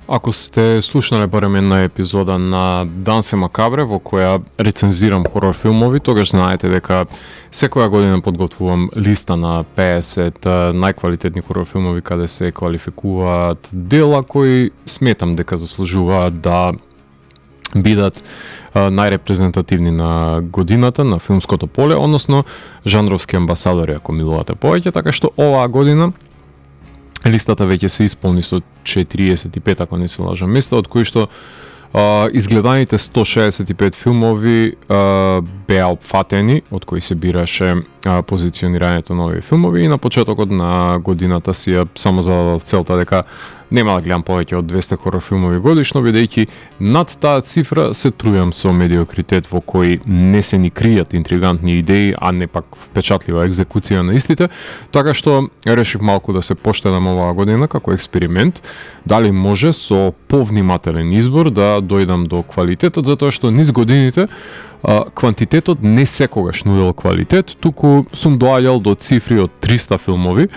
Ако сте слушнале барем една епизода на Дансе Макабре во која рецензирам хорор филмови, тогаш знаете дека секоја година подготвувам листа на 50 најквалитетни хорор филмови каде се квалификуваат дела кои сметам дека заслужуваат да бидат најрепрезентативни на годината на филмското поле, односно жанровски амбасадори, ако милувате повеќе, така што оваа година листата веќе се исполни со 45, ако не се лажам, места, од кои што изгледаните 165 филмови беа опфатени, од кои се бираше позиционирањето на овие филмови, и на почетокот на годината си ја само зададов целта дека нема да гледам повеќе од 200 хорор филмови годишно, бидејќи над таа цифра се трујам со медиокритет во кој не се ни кријат интригантни идеи, а не пак впечатлива екзекуција на истите, така што решив малку да се поштедам оваа година како експеримент, дали може со повнимателен избор да дојдам до квалитетот, затоа што низ годините квантитетот не секогаш нудел квалитет, туку сум доаѓал до цифри од 300 филмови,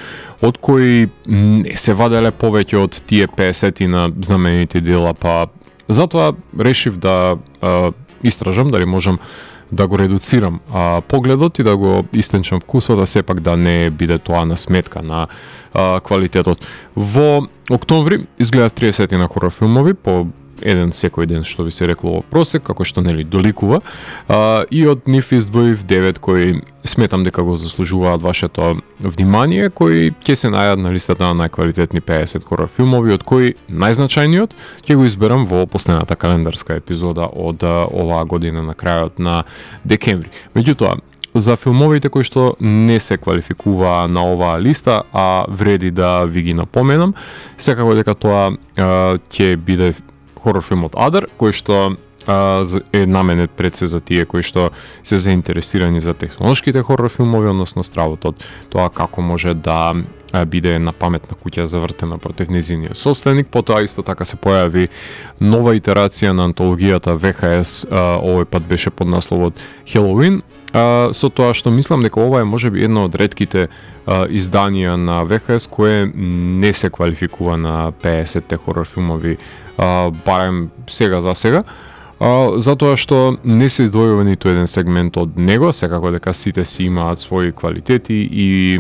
од кои не се ваделе повеќе од тие 50 на знаменити дела, па затоа решив да истражам дали можам да го редуцирам погледот и да го истенчам вкусот, да сепак да не биде тоа на сметка на квалитетот. Во октомври изгледав 30 на хорор филмови, по еден секој ден, што би се рекло во просек, како што нели доликува, и од нив издвоив 9 кои сметам дека го заслужуваат вашето внимание, кои ќе се најдат на листата на најквалитетни 50 хорор филмови, од кои најзначајниот ќе го изберам во последната календарска епизода од оваа година на крајот на декември. Меѓутоа, за филмовите кои што не се квалификуваа на оваа листа, а вреди да ви ги напоменам, секако дека тоа ќе биде хорор филмот Адър, кој што е наменет пред се за тие кои што се заинтересирани за технолошките хорор филмови, односно стравот од тоа како може да биде една паметна куќа завртена против нејзиниот собственик. Потоа исто така се појави нова итерација на антологијата ВХС, овој пат беше под насловот Хелоуин, со тоа што мислам дека ова е можеби едно од ретките изданија на ВХС кое не се квалификува на 50-те хорор филмови, барем сега за сега, затоа што не се издвојува ниту еден сегмент од него, секако дека сите си имаат своји квалитети и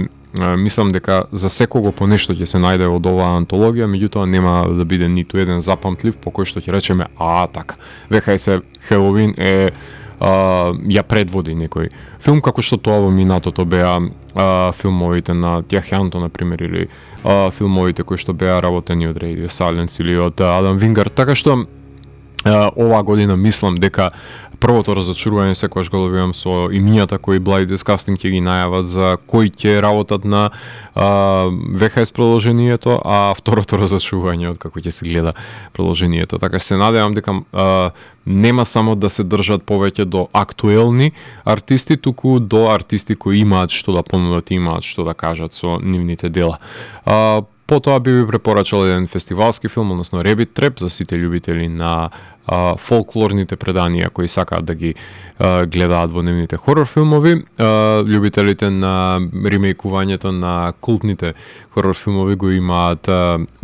мислам дека за секого по нешто ќе се најде од оваа антологија, меѓутоа нема да биде ниту еден запамтлив по кој што ќе речеме така. ВХС Хелоуин ја предводи некој филм, како што тоа во минатото беа филмовите на Тјахјанто, например, или филмовите кои што беа работени од Radio Silence или од Адам Вингард, така што оваа година мислам дека првото разочарување секогаш го добивам со имињата кои Blind Disgusting ќе ги најават за кои ќе работат на ВХС продолжението, а второто разочарување од како ќе се гледа продолжението. Така се надевам дека нема само да се држат повеќе до актуелни артисти, туку до артисти кои имаат што да понудат и имаат што да кажат со нивните дела. Потоа би ви препорачал еден фестивалски филм, односно Rabbit Trap, за сите љубители на фолклорните преданија кои сакаат да ги гледаат во нивните хорор филмови. Љубителите на ремейкувањето на култните хорор филмови го имаат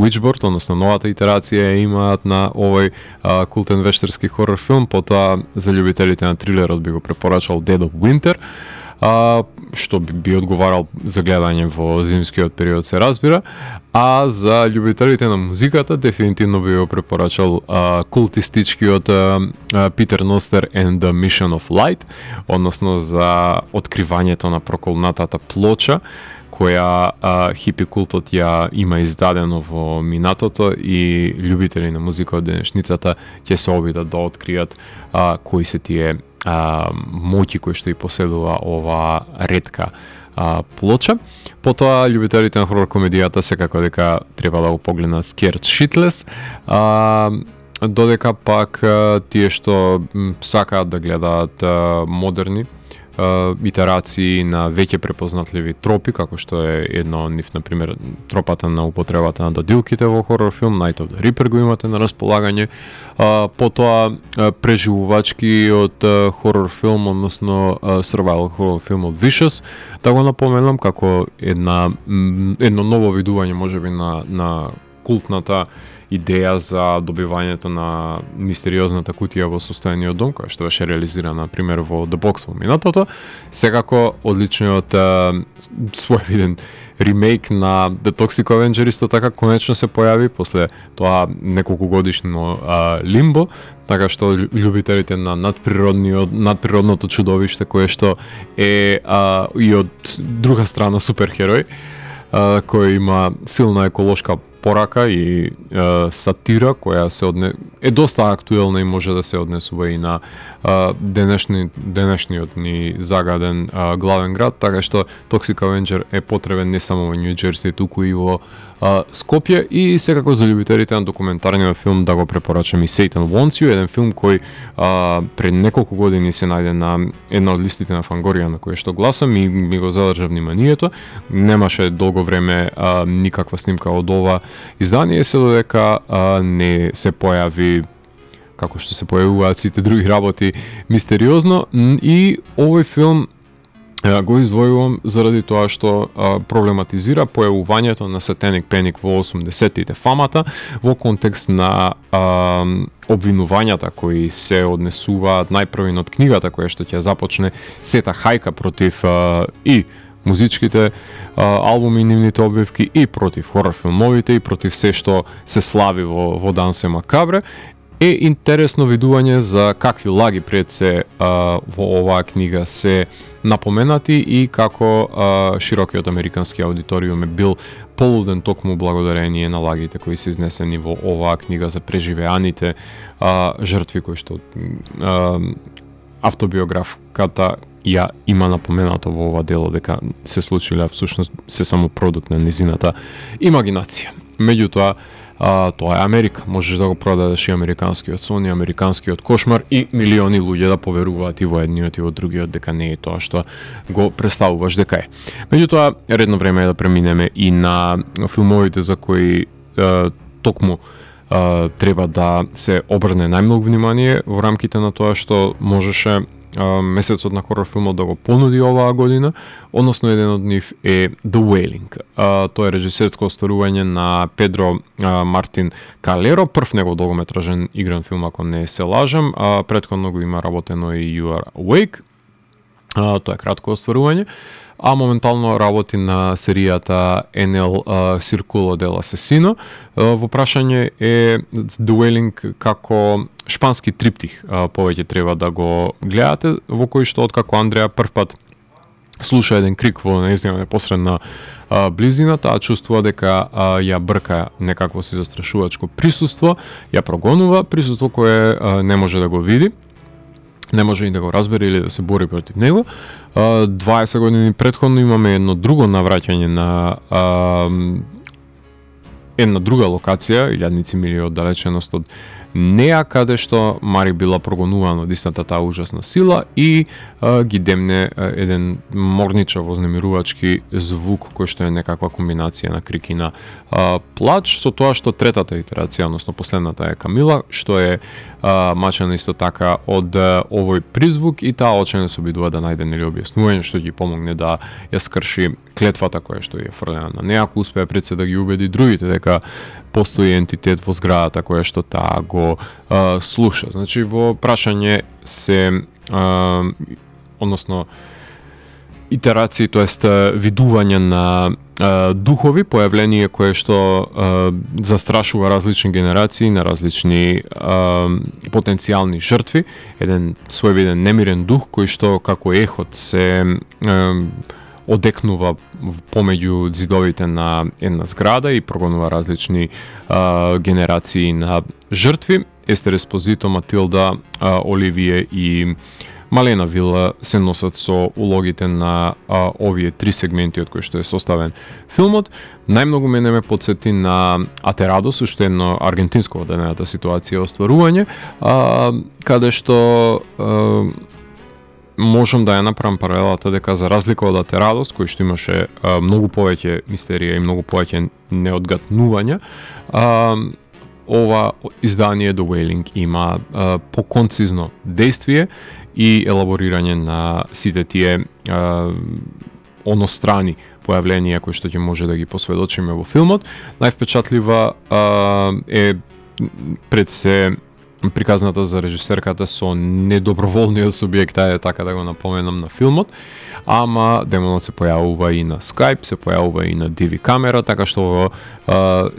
Witchboard, односно новата итерација имаат на овој култен вештерски хорор филм. Потоа за љубителите на трилерот би го препорачал Dead of Winter, што би одговарал за гледање во зимскиот период, се разбира, а за љубителите на музиката дефинитивно би го препорачал култистичкиот Peter Noster and the Mission of Light, односно за откривањето на проколнатата плоча која хипи култот ја има издадено во минатото, и љубители на музика од денешницата ќе се обидат да откријат кои се тие моќи кои што и поседува ова ретка плоча. Потоа љубителите на хорор комедијата секако дека треба да го погледнат Scared Shitless, додека пак тие што сакаат да гледаат модерни итерации на веќе препознатливи тропи, како што е едно од нив, например, тропата на употребата на дадилките во хорор филм, Night of the Reaper го имате на располагање. Потоа преживувачкиот хорор филм, односно survival хорор филм од Vicious, да го напоменам како едно ново видување можеби на култната идеја за добивањето на мистериозната кутија во состојаниот дом, која што беше реализирана, например, во The Box во минатото. Секако, одличниот своевиден ремейк на The Toxic Avenger исто така конечно се појави после тоа неколку годишно лимбо, така што љубителите на надприродното чудовиште кое што е и од друга страна суперхерој, кој има силна еколошка порака и сатира која е доста актуелна и може да се однесува и на денешниот ни загаден главен град, така што Toxic Avenger е потребен не само во Нью Џерси, туку и во Скопје, и секако за љубителите на документарниот филм да го препорачам и Satan Wants You, еден филм кој пред неколку години се најде на една од листите на Фангорија на која што гласам и ми го задржа вниманието. Немаше долго време никаква снимка од ова издание, се додека не се појави, како што се појавуваат сите други работи, мистериозно, и овој филм го издвојувам заради тоа што проблематизира појавувањето на Satanic Panic во 80-тите, фамата, во контекст на обвинувањата кои се однесуваат најпрвин од книгата која што ќе започне сета хајка против и музичките албуми и нивните обвивки, и против хорор филмовите, и против се што се слави во Дансе Макабре. Е интересно видување за какви лаги пред се во оваа книга се напоменати и како широкиот американски аудиториум е бил полуден токму благодарение на лагите кои се изнесени во оваа книга за преживеаните жртви кои што автобиографката ја има напоменато во ова дело дека се случиле, всушност се само продукт на низината имагинација. Меѓутоа, тоа е Америка, можеш да го продадеш и американскиот сон, и американскиот кошмар, и милиони луѓе да поверуваат и во едниот и во другиот дека не е тоа што го представуваш дека е. Меѓутоа, редно време е да преминеме и на филмовите за кои токму треба да се обрне најмногу внимание во рамките на тоа што можеше месецот на хорор филмот да го понуди оваа година, односно еден од нив е The Wailing. Тоа е режисерско остварување на Педро Мартин Калеро, прв негов долгометражен игран филм, ако не се лажам, претходно го има работено и You Are Awake. Тоа е кратко остварување, а моментално работи на серијата NL Circulo del Asesino. Во прашање е The Wailing како шпански триптих, повеќе треба да го гледате, во кој што откако Андреа првпат слуша еден крик во нејзина непосредна близина, таа чувствува дека ја брка некакво си застрашувачко присуство, ја прогонува присуство кое не може да го види, не може и да го разбере или да се бори против него. 20 години претходно имаме едно друго навраќање на една друга локација, илјадници мили од далеченост од неа, каде што Мари била прогонувана од истата таа ужасна сила и ги демне еден морничав вознемирувачки звук кој што е некаква комбинација на крик и на плач, со тоа што третата итерација, односно последната е Камила, што е мачена исто така од овој призвук, и таа очено се обидува да најде нели објаснување што ги помогне да ја скрши клетвата која што е фрлена на неа, ако успее пред се да ги убеди другите дека постои ентитет во зградата која што таа го слуша. Значи во прашање се односно итерации, тоест видување на духови, појавление кое што застрашува различни генерации на различни потенцијални жртви, еден своевиден немирен дух кој што како ехот се одекнува помеѓу зидовите на една зграда и прогонува различни генерации на жртви. Естер Еспозито, Матилда, Оливие и Малена Вила се носат со улогите на овие три сегменти од кои што е составен филмот. Најмногу мене ме подсети на Атерадос, уште едно аргентинско од едната ситуација остварување, каде што можам да ја направам паралелата дека за разлика од Атерадос, кој што имаше многу повеќе мистерија и многу повеќе неодгатнувања, ова издание The Wailing има поконцизно действие и елаборирање на сите тие онострани појавленија кои што ќе може да ги посведочиме во филмот. Највпечатлива е пред се приказната за режисерката со недоброволниот субјект, така да го напоменам, на филмот, ама демонот се појавува и на Skype, се појавува и на DV камера, така што во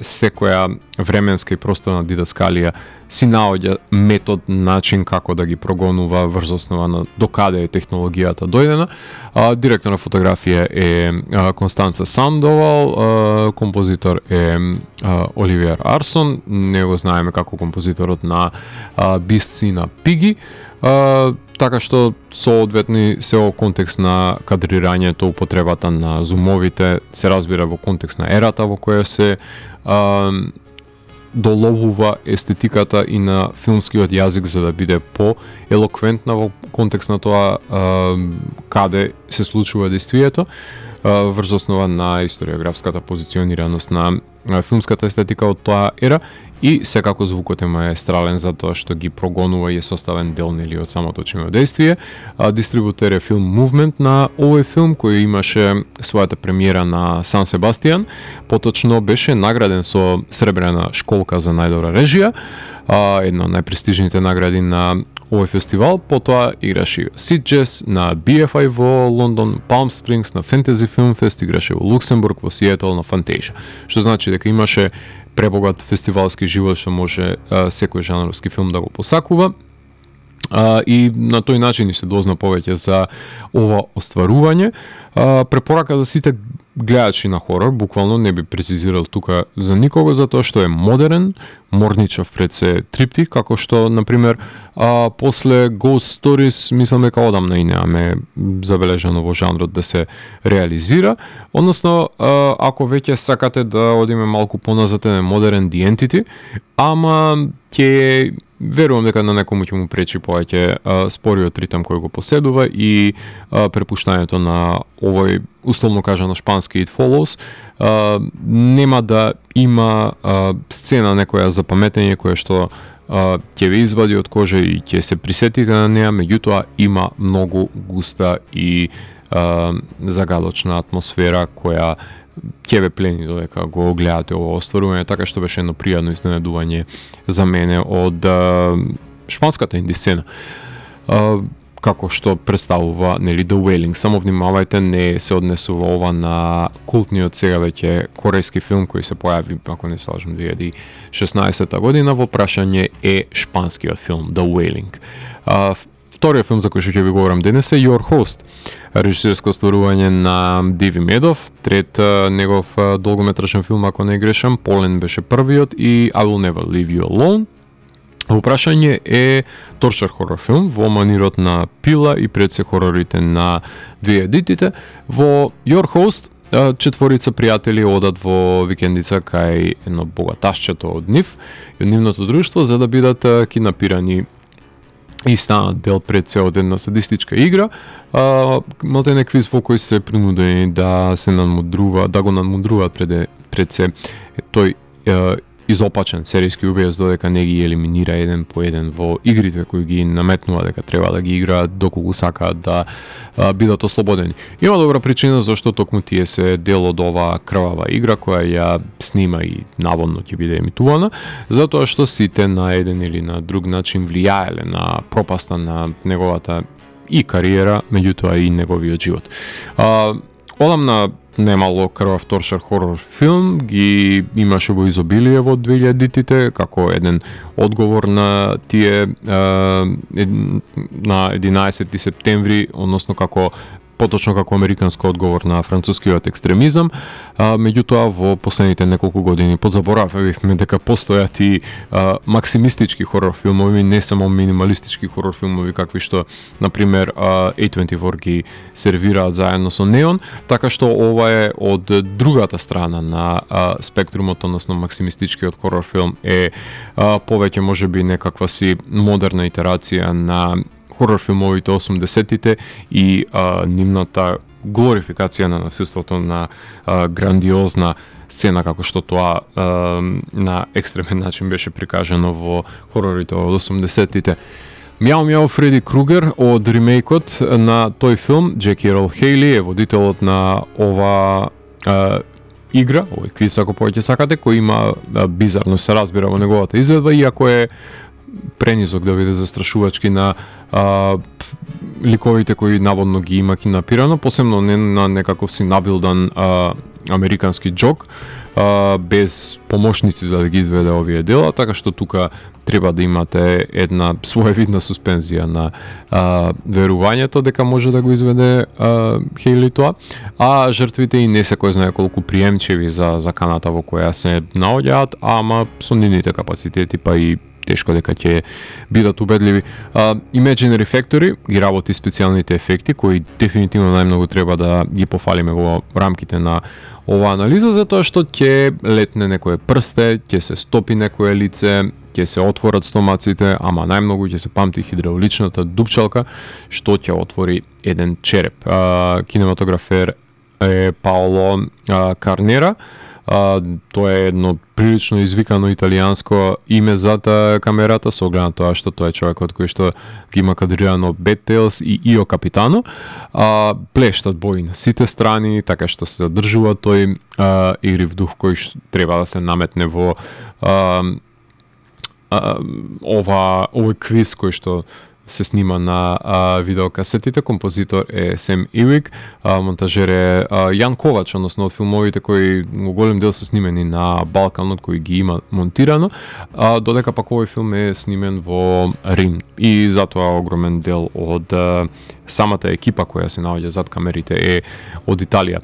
секоја временска и просторна дидаскалија си наоѓа метод, начин како да ги прогонува врз основа на докаде е технологијата дојдена. Директор на фотографија е Констанца Сандовал, композитор е Оливиер Арсон, не го знаеме како композиторот на Beasts и на Piggy, така што соодветни се во контекст на кадрирањето, употребата на зумовите, се разбира во контекст на ерата во која се доловува естетиката и на филмскиот јазик за да биде по-елоквентна во контекст на тоа каде се случува действието, врз основа на историографската позиционираност на филмската естетика од тоа ера, и секако звукот е маестрален затоа што ги прогонува и е составен дел нели од самото действие. Дистрибутер е Film Movement на овој филм, кој имаше својата премиера на Сан Себастијан, поточно беше награден со сребрена школка за најдобра режија, една од најпрестижните награди на овој фестивал. Потоа играше Sitges на BFI во Лондон, Palm Springs на Fantasy Film Fest, играше во Луксембург, во Сиетл на Fantasia. Што значи дека имаше пребогат фестивалски живот што може секој жанровски филм да го посакува. И на тој начин ни се дозна повеќе за ова остварување. Препорака за сите гледачи на хорор, буквално не би прецизирал тука за никого, затоа што е модерен, морничав пред се триптих, како што, например, после Ghost Stories, мислам дека одамна и немаме забележано во жанрот да се реализира. Односно, ако веќе сакате да одиме малку поназад, е модерен The Entity, ама ќе верувам дека на некому ќе му пречи повеќе спориот ритам кој го поседува и препуштањето на овој, условно кажано, шпански It Follows. Нема да има сцена некоја за паметење која што ќе ве извади од кожа и ќе се присетите на неа, меѓутоа има многу густа и загадочна атмосфера која ќе ве плени додека го гледате ово остварување, така што беше едно пријатно изненадување за мене од шпанската инди сцена. Како што представува нели The Wailing. Само внимавајте, не се однесува ова на култниот сега веќе корејски филм кој се појави, ако не се лажам, 2016 година. Во прашање е шпанскиот филм The Wailing. Вториот филм за кој што ќе ви говорам денес е Your Host, режисерско остварување на Диви Медов, трет негов долгометражен филм, ако не грешам. Полен беше првиот и I Will Never Leave You Alone. Во прашање е торчер хорор филм во манирот на Пила и пред се хорорите на две едитите. Во Your Host четворица пријатели одат во викендица кај едно богаташчето од нив и од нивното друштво за да бидат киднапирани и станат дел пред се од една садистичка игра. Малтене квиз во кој се принудени да се надмудрува, да го надмудруваат пред се тој изопачен серијски убиец додека не ги елиминира еден по еден во игрите кои ги наметнува дека треба да ги играат доколку сакаат да бидат ослободени. Има добра причина зашто токму тие се дел од оваа крвава игра која ја снима и наводно ќе биде емитувана, затоа што сите на еден или на друг начин влијаеле на пропаста на неговата и кариера, меѓутоа и неговиот живот. Одамна немало крвав торчер хорор филм ги имаше во изобилие во 2000-тите како еден одговор на тие на 11 септември, односно како поточно како американско одговор на францускиот екстремизам. Меѓутоа во последните неколку години подзаборавивме дека постојат и максимистички хорор филмови, не само минималистички хорор филмови какви што на пример A24 ги сервираат заедно со Неон, така што ова е од другата страна на спектрумот, односно максимистичкиот хорор филм е повеќе можеби некаква си модерна итерација на хорор филмовите 80-тите и нивната глорификација на насилството на грандиозна сцена како што тоа на екстремен начин беше прикажано во хорорите од 80-тите. Мјау Мјау Фреди Кругер од ремейкот на тој филм. Джеки Ерол Хейли е водителот на ова игра, овој квиз ако повеќе сакате, кој има бизарно се разбира во неговата изведба, иако е пренизок да биде застрашувачки на ликовите кои наводно ги има кинапирано, посебно не на некаков си набилдан американски џок, без помошници за да ги изведе овие дела, така што тука треба да имате една своевидна суспензија на верувањето дека може да го изведе Хейли тоа, а жртвите и не се кој знае колку приемчиви за заканата во која се наоѓаат, ама со нивните капацитети па и тешко дека ќе бидат убедливи. Imaginary Factory ги работи специјалните ефекти кои дефинитивно најмногу треба да ги пофалиме во рамките на ова анализа, затоа што ќе летне некое прсте, ќе се стопи некое лице, ќе се отворат стомаците, ама најмногу ќе се памти хидравличната дупчалка што ќе отвори еден череп. Кинематографер е Паоло Карнера. Тоа е едно прилично извикано италијанско име зад камерата, со оглед на тоа што тоа е човекот кој што ги има кадрирано Bad Tails и Ио Капитано. Плештат бои на сите страни, така што се задржува тој игрив дух кој треба да се наметне во овој квиз кој што се снима на видеокасетите. Композитор е Сем Ивик, монтажер е Јан Ковач, односно од филмовите кои во голем дел се снимени на Балканот, кои ги има монтирано, додека пак овој филм е снимен во Рим и затоа огромен дел од самата екипа која се наоѓа зад камерите е од Италија.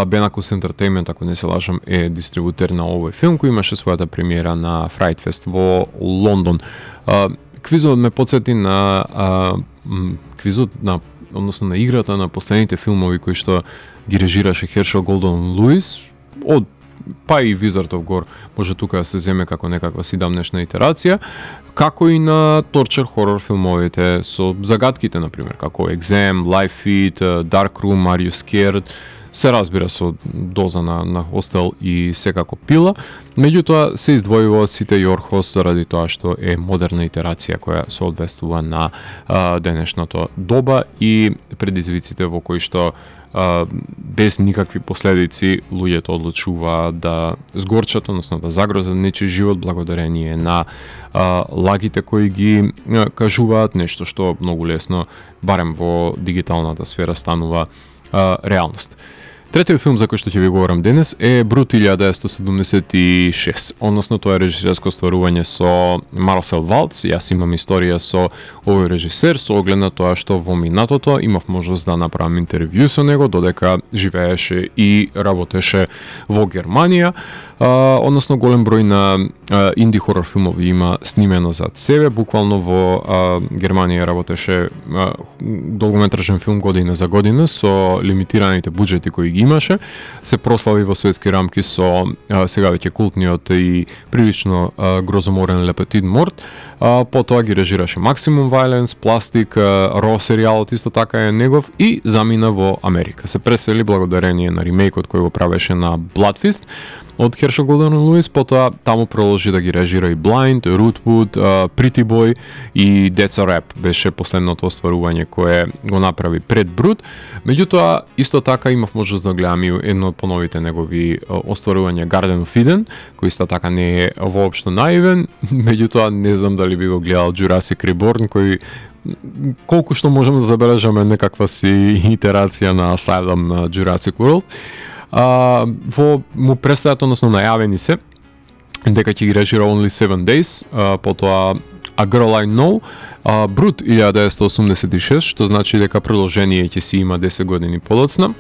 Benacus Entertainment, ако не се лажам, е дистрибутер на овој филм кој имаше својата премиера на Fright Fest во Лондон. Квизот ме подсети на квизот на, односно на играта на последните филмови кои што ги режираше Хершел Голдон Луис, од па и Wizard of Gore може тука да се земе како некаква сидамнешна итерација, како и на торчер хорор филмовите со загадките, например, како Exam, Live Feed, Dark Room, Are You Scared, се разбира со доза на Hostel и секако Пила, меѓутоа се издвојува сите Јорхос заради тоа што е модерна итерација која се одвестува на денешното доба и предизвиците во кои што без никакви последици луѓето одлучуваат да сгорчат, односно да загрозат нечи живот благодарение на лагите кои ги кажуваат, нешто што многу лесно, барем во дигиталната сфера, станува реалност. Третиот филм за кој што ќе ви говорам денес е Брут 1976, односно тоа е режисерско стварување со Марсел Валц. Јас имам историја со овој режисер, со оглед на тоа што во минатото имав можност да направам интервју со него, додека живееше и работеше во Германија. Односно голем број на инди хорор филмови има снимено зад себе. Буквално во Германија работеше долгометражен филм година за година со лимитираните буџети кои ги имаше. Се прослави во светски рамки со сега веќе култниот и прилично грозоморен Le Petit Mort. Потоа ги режираше Maximum Violence, Plastic, Raw серијалот исто така е негов и замина во Америка. Се пресели благодарение на ремейкот кој го правеше на Bloodfist од Хершел Голден Луис, потоа таму продолжи да ги режира и Blind, Rootwood, Pretty Boy и That's a Rap беше последното остварување кое го направи пред Брут. Меѓутоа, исто така имав можност да гледам и едно од поновите негови остварувања Garden of Eden, кој исто така не е воопшто наивен, меѓутоа не знам дали би го гледал Jurassic Reborn, кој колку што можеме да забележаме некаква си итерација на Asylum на Jurassic World. Во му представат, односно најавени се дека ќе ги режира Only 7 Days, потоа A Girl I Know, Брут 1986, што значи дека продолжение ќе си има 10 години подоцна.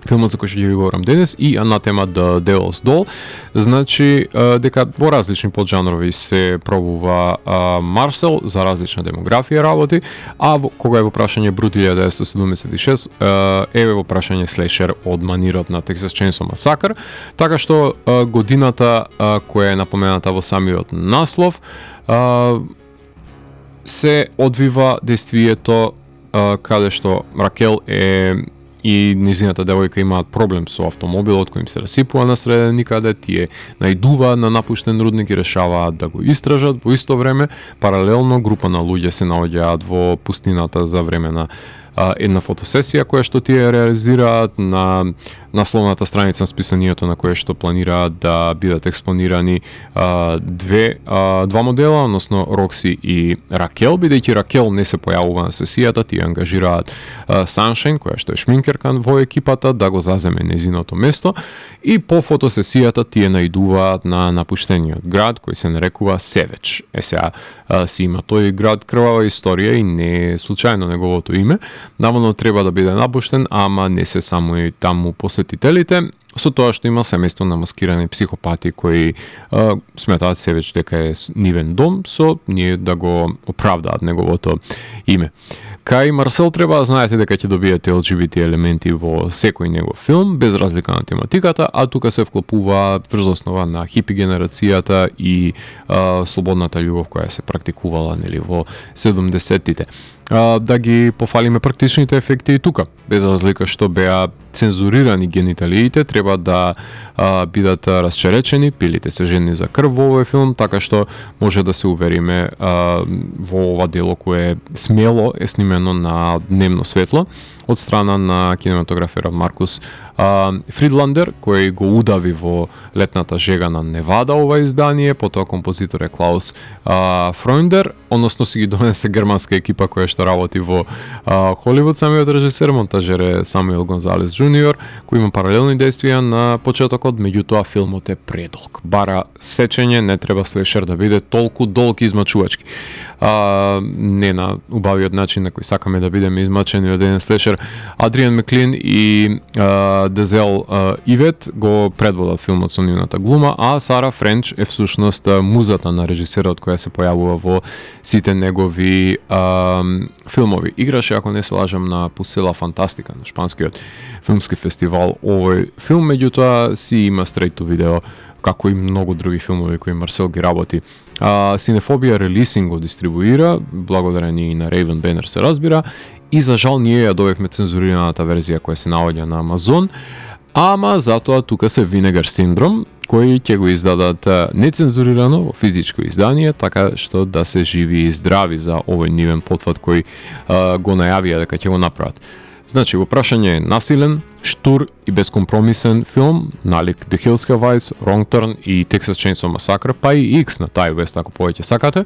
Филмот за кој што ќе ви говорам денес и Anathema The Devil's Doll, значи дека во различни поджанрови се пробува Марсел за различна демографија работи, а кога е во прашање Брут 1976 е во прашање слешер од манирот на Texas Chainsaw Massacre, така што годината која е напомената во самиот наслов се одвива действието каде што Ракел е и незината девојка имаат проблем со автомобилот кој им се расипува на среде никаде, тие најдуваат на напуштен рудник и решаваат да го истражат. Во исто време, паралелно група на луѓе се наоѓаат во пустината за време на една фотосесија која што тие реализираат. На насловната страница на списанието на кое што планираат да бидат експонирани два модела, односно Рокси и Ракел, бидејќи Ракел не се појавува на сесијата, тие ангажираат Саншайн, која што е шминкерка во екипата, да го заземе незиното место, и по фотосесијата тие најдуваат на напуштениот град кој се нарекува Севеч. Сега си има тој град крвава историја и не е случајно неговото име. Наводно треба да биде напуштен, ама не се само и таму посетителите, со тоа што има семејство на маскирани психопати кои сметаат Севеч дека е нивен дом, со ние да го оправдаат неговото име. Кај Марсел треба да знаете дека ќе добиете LGBT елементи во секој негов филм, без разлика на тематиката, а тука се вклопува врз основа на хипи генерацијата и слободната љубов која се практикувала во 70-тите. Да ги пофалиме практичните ефекти и тука, без разлика што беа цензурирани гениталиите, треба да бидат расчеречени, пилите се жени за крв во овој филм, така што може да се увериме во ова дело кое смело е снимено на дневно светло од страна на кинематограферот Маркус Фридландер, кој го удави во летната жега на Невада ова издание, потоа композитор е Клаус Фройндер, односно си ги донесе германска екипа која што работи во Холивуд, самиот режисер, монтажер е Самуел Гонзалес Джуниор, кој има паралелни действија на почетокот, меѓутоа филмот е предолг. Бара сечење, не треба слешер да биде толку долг и измачувачки. Не на убавиот начин на кој сакаме да бидеме измачени од еден слешер. Адриан Меклин и Дезел Ивет го предводат филмот со нивната глума, а Сара Френч е всушност музата на режисерот која се појавува во сите негови филмови. Играше, ако не се лажам, на Пусела Фантастика, на шпанскиот филмски фестивал овој филм, меѓутоа си има straight to видео, како и многу други филмови кои Марсел ги работи. Синефобија Релисинг го дистрибуира, благодарение и на Raven Banner се разбира, и за жал ние ја добивме цензурираната верзија која се наоѓа на Амазон, ама затоа тука се Vinegar Syndrome, кои ќе го издадат нецензурирано во физичко издание, така што да се живи и здрави за овој нивен потфат кој го најавија дека ќе го направат. Значи, во прашање е насилен, штур и безкомпромисен филм, налик The Hills Have Eyes, Wrong Turn и Texas Chainsaw Massacre, па и X на Ти Вест, ако повеќе сакате,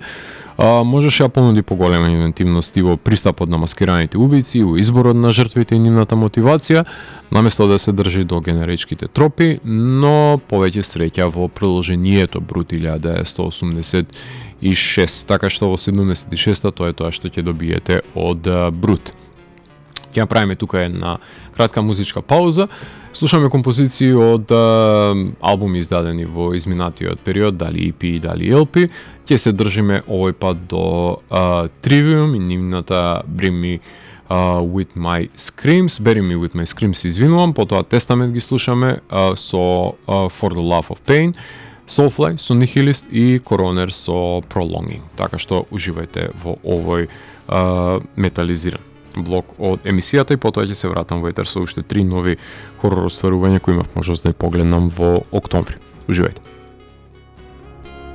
можеше да понуди поголема инвентивност и во пристапот на маскираните убици, во изборот на жртвите и нивната мотивација, наместо да се држи до генеричките тропи, но повеќе среќа во продолжението Брут 1986, така што во 76-та тоа е тоа што ќе добиете од Брут. Ќе направиме тука една кратка музичка пауза. Слушаме композиции од албуми издадени во изминатиот период, дали EP, дали LP. Ќе се држиме овој пат до Trivium и нивната Bring Me With My Screams, Bury Me With My Screams, извинувам, потоа Testament ги слушаме со For the Love of Pain, Soulfly со Nihilist и Coroner со Prolonging. Така што уживајте во овој метализиран блок од емисијата и потоа ќе се вратам во етер со уште 3 нови хорор остварувања кои имав можност да ја погледнам во октомври. Уживајте.